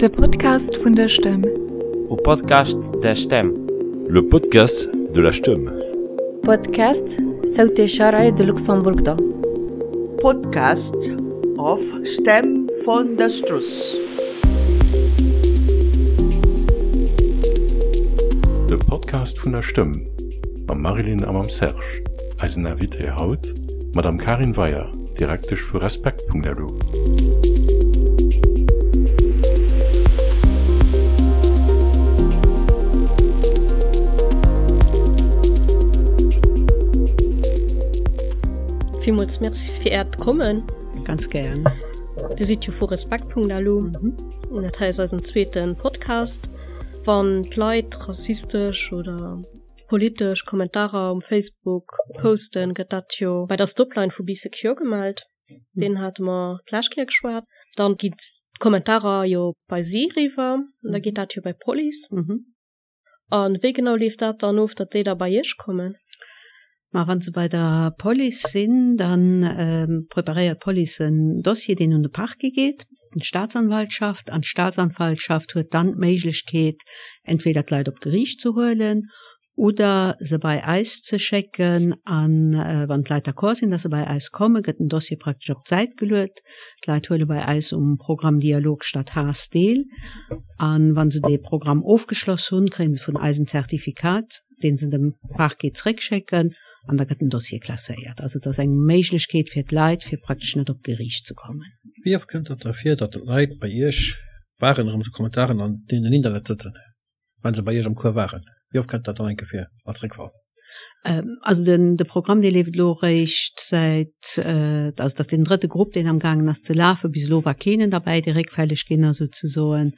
De Podcast vun der Stëmm. O Podcast da Stem. Le podcast de la Stëmm. Podcast صوت شرعي de Luxembourg da. Podcast of Stem von der Struss. De Podcast vun der Stëmm mam Marilyn a mam Serge. Eisen Invité haut, d'Madame Karin Weyer, Direktesch vu Respekt.lu. Villmools Merci fir Äert Kommen. Ganz gären. Dir sidd jo vu Respekt.lu. An dat hei ass eisen zweete Podcast. Wann d'Leit rassistesch oder politesch Kommentarer um Facebook posten, gëtt dat jo bei der Stopline vu Bee Secure gemellt. Deen hate mer d'lescht Kéier geschwat. Dann ginn d'Kommentarer jo bei si eriwwer an da geet dat jo bei d'Police. A wéi genau leeft dat dann of, datt déi da bei Iech kommen? Ma wann se bei der Police sinn, da preparéiert d'Police en Dossier, deen un de Parquet geet, un d'Staatsanwaltschaft. An d'Staatsanwaltschaft huet dann d'Méiglechkeet, entweder d'Leit op d'Geriicht ze huelen oder se bei eis ze schécken. A wann d'Leit d'accord sinn, datt se bei eis kommen, gëtt den Dossier praktesch op d'Säit geluet. D'Leit huele bei eis um Programm Dialog statt Haass deel. A wa se dee Programm ofgeschloss hunn, kréie se vun eis en Zertifikat, dee se dem Parquet zréckschécken, an da gëtt den Dossier klasséiert. Also et ass eng Méiglechkeet fir d'Leit, fir praktesch net op d'Geriicht ze kommen. Wéi oft kënnt et da vir, datt Leit bei Iech waren, erëm sou Kommentaren an deenen Internet sëtzen? Wann se bei Iech am Cours waren, wéi oft kënnt dat dann eng Kéier vir als Réckfall? Also den de Programm dee leeft elo eréischt säit, also dat ass deen drëtte Grupp deen amgaangen ass ze lafen. Bis elo war keenen derbäi dee réckfälleg ginn ass souzesoen.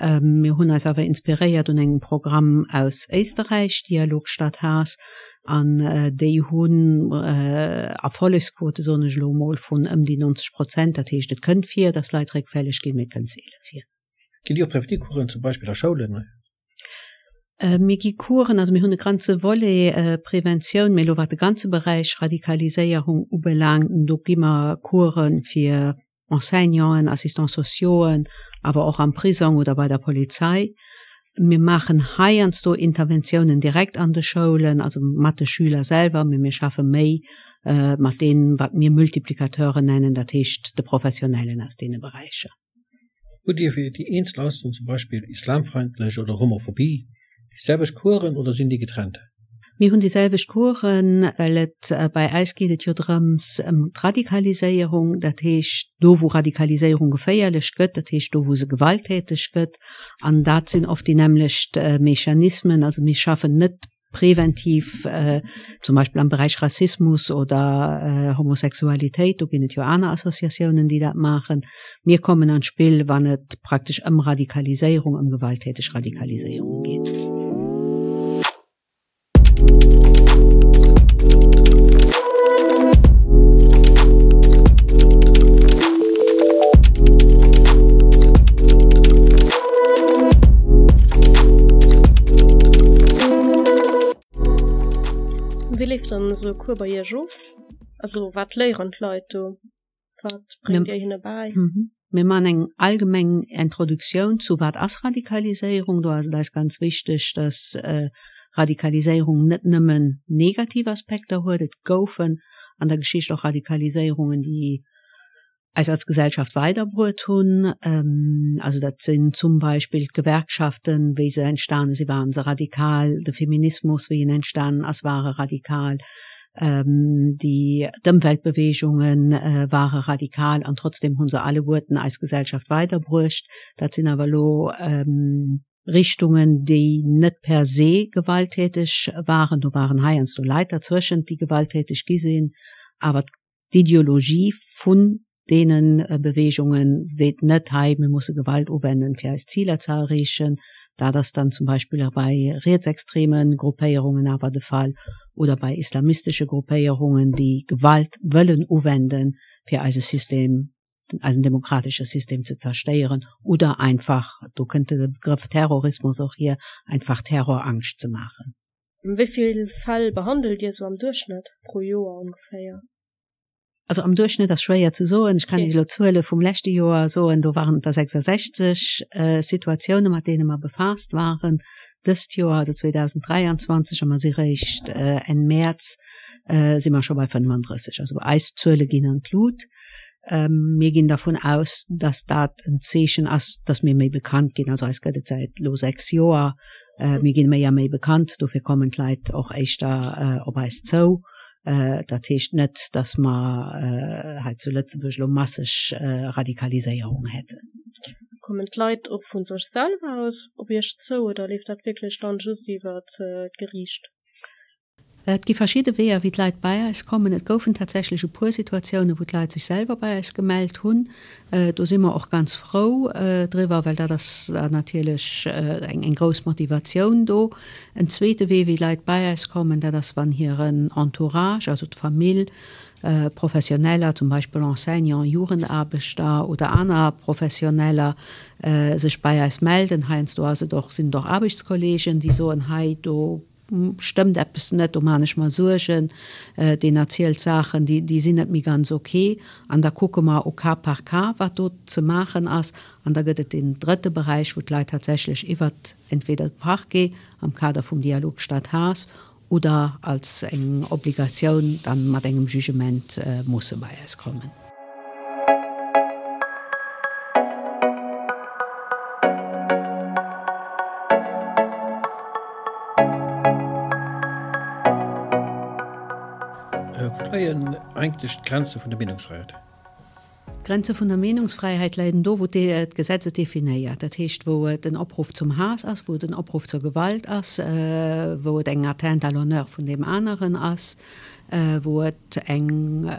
Mir hunn eis awer inspiréiert un engem Programm aus Éisterräich, Dialog statt Haass, an déi hunn Erfollegsquote soen ech elo emol vun ëm déi 90 Prozent. Dat heescht et kënnt vir, datt Leit réckfälleg ginn, mee et kënnt seele vir. Gitt Dir och Präventivcoursen zum Beispill a Schoulen? Mir gi Coursen, also mir hunn e ganze Volet Preventioun, mee elo wat de ganze Beräich Radikaliséierung ubelaangt, do gi mer Course fir Enseignanten, Assistants sociauxen, awer och am Prisong oder bei der Polizei. Mir maachen heiansdo Interventiounen direkt an de Schoulen, also mat de Schüler selwer, mee mir schaffe méi mat deenen, wat mir Multiplicateuren nennen, dat heescht de Professionellen aus deene Beräicher. Hutt Dir fir déi eenzel Aussoen, zum Beispill islamfeindlech oder Homophobie, déi selwecht Coursen oder sinn déi getrennt? Mir hunn déi selwecht Coursen, well et bei eis geet et jo drëms ëm d'Radikaliséierung, dat heescht do wou Radikaliséierung geféierlech gëtt, dat heescht do wou se gewalttäteg gëtt, an dat sinn oft déi nämmlecht Mechanismen. Also mir schaffen net präventiv, zum Beispill am Beräich Rassismus oder Homosexualitéit, do ginn et jo aner Associatiounen, déi dat maachen. Mir kommen an d'Spill, wann et praktesch ëm Radikaliséierung, ëm gewalttäteg Radikaliséierung geet. Wéi leeft dann esou e Cours bei Iech of? Also wat léieren d'Leit do? Wat bréngt Dir hinne bäi? Mir maachen eng allgemeng Introduktioun zu wat ass Radikaliséierung. Do ass et eis ganz wichteg, dass Radikaliséierung net nëmmen negativ Aspekter huet. Et goufen an der Geschicht och Radikaliséierungen, déi eis als Gesellschaft weiderbruet hunn. Also dat sinn zum Beispill d'Gewerkschaften, wéi se entstane si ware se radikal, de Feminismus, wéi en entstanen ass, war e radikal, déi d'Ëmweltbeweegunge ware radikal an trotzdem hu se alleguerten eis Gesellschaft weiderbruecht. Dat sinn awer elo Richtungen, déi net per se gewalttäteg waren. Do waren heiansdo Leit derzwëschent, déi gewalttäteg gi sinn, awer D'Ideologie vun deene Beweegunge seet net, hei mir musse Gewalt uwennen, fir eis Ziler ze erreechen. Dat ass dann zum Beispill bei rietsextreme Gruppéierungen awer de Fall oder bei islamistesche Gruppéierungen, déi Gewalt wëllen uwenden, fir eise System, eisen demokratesche System ze zerstéieren oder einfach, do kënnt de Begrëff Terrorismus och hier, einfach Terrorangscht ze maachen. Wéi vill Fäll behandelt Dir esou am Duerchschnëtt pro Joer ongeféier? Also am Duerchschnëtt ass schwéier ze soen. Ech kann Iech elo d'Zuele vum leschte Joer soen, do waren et der 66 Situatioune mat deene mer befaasst waren. Dëst Joer, also 2023, a mer si réischt Enn Mäerz, si mer scho bei 35. Also eis Zuele ginn an d'Lut. Mir ginn dervun aus, datt dat en Zeechen ass, datt mir méi bekannt ginn. Also eis gëtt et säit elo 6 Joer. Mir ginn méi a méi bekannt, dofir kommen d'Leit och éischter op eis zou. Dat heescht net, datt mer hei zu Lëtzebuerg elo masseg Radikaliséierung hätten. Kommen d'Leit och vu sech selwer aus op Iech zou oder leeft dat wierklech dann just iwwer d'Geriicht? Et gi verschidde Weeër, wéi d'Leit bei eis kommen. Et goufen tatsächlech e puer Situatiounen, wou d'Leit sech selwer bei eis gemellt hunn. Do si mer och ganz frou driwwer, well dat ass natierlech eng grouss Motivatioun do. En zweete Wee, wéi Leit bei eis kommen, dat ass, wann hiren Entourage, also d'Famill, Professioneller, zum Beispill Enseignant, Jugendaarbechter oder aner Professioneller, sech bei eis melden. Heiansdo ass et och, sinn et och Aarbechtskolleegen, déi soen, hei do stëmmt eppes net, do maan ech mer Suergen, deen erzielt Saachen, déi sinn net méi ganz ok. An da kucke mer au cas par cas, wat do ze maachen ass. An da gëtt et deen drëtte Beräich, wou d'Leit tatsächlech iwwert entweder de Parquet am Kader vum Dialog Stad-Haass oder als eng Obligatioun dann mat engem Jugement musse bei eis kommen. Wou leien eigentlech d'Grenze vun der Meenungsfräiheet? D'Grenze vun der Meenungsfräiheit leien do, wou d'Gesetz et definéiert. Dat heescht, wou et en Opruff zum Haass ass, wou et en Opruff zur Gewalt ass, wou et eng Atteinte à l'honneur vun deem aneren ass, wou et eng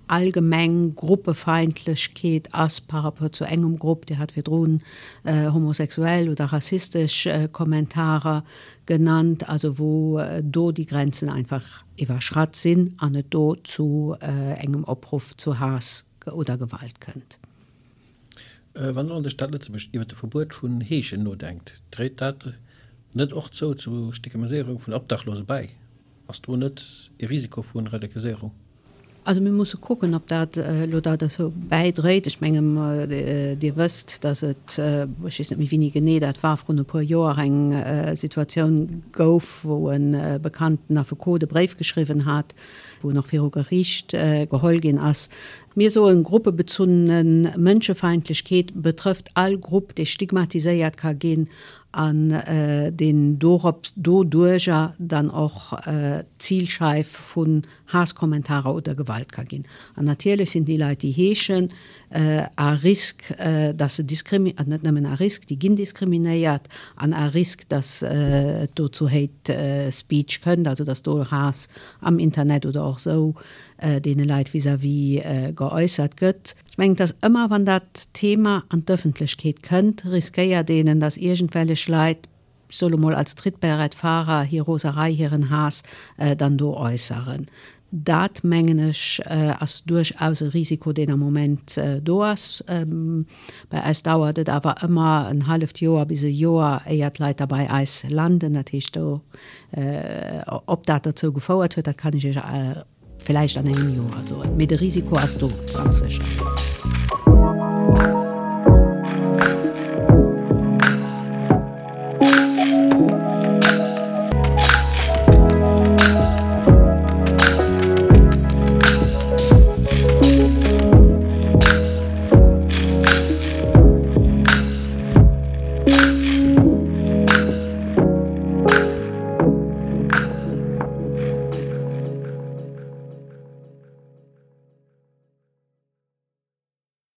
allgemeng Gruppefeindlechkeet ass par rapport zu engem Grupp, Dir hat virdrun homosexuell oder rassistesch Kommentarer genannt, also wou do déi Grenzen einfach iwwerschratt sinn an et do zu engem Opruff zu Haass oder Gewalt kënnt. Wann elo de Staat Lëtzebuerg iwwer de Verbuet vun Heeschen nodenkt, dréit dat net och zou zu Stigmatiséierung vun Obdachlose bäi? Ass do net ee Risiko vu Radikaliséierung? Also mir musse kucken, ob dat elo da dozou bäidréit. Ech menge Dir wësst, datt et, ech weess net méi wéini genee dat war, vrun e puer Joer eng Situatioun gouf, wou e bekannten Affekot e Bréif geschriwwen hat, wou en och viru Geriicht geholl ginn ass. Mir soen, gruppebezunne Mënschefeindlechkeet betrëfft all Grupp, déi stigmatiséiert ka ginn an deen dorops doduerjer dann och d'Zilscheif vun Haass-Kommentarer oder Gewalt ka ginn. An natierlech sinn déi Leit, déi heeschen, à risque, dass se diskrimi-, an net nëmmen à risque, déi ginn diskriminéiert, an à risque, dass et do zu Hate Speech kënnt, also dass do Haass am Internet oder och esou deene Leit vis-à-vis geäussert gëtt. Ech mengen, dass ëmmer, wann dat Thema an d'Ëffentlechkeet kënnt, riskéiert een, dass iergendwellech Leit, ech soe lo mol als Trittberettfahrer, hir Roserei, hiren Haass dann do äusseren. Dat, mengen ech, ass duerchaus e Risiko, deen am Moment do ass. Bei eis dauert et awer ëmmer en halleft Joer bis e Joer, éier d'Leit da bei eis landen. Dat heescht, do, ob dat derzou gefouert huet, dat kann ech Iech villäicht an engem Joer soen. Mee de Risiko ass do, ganz sécher.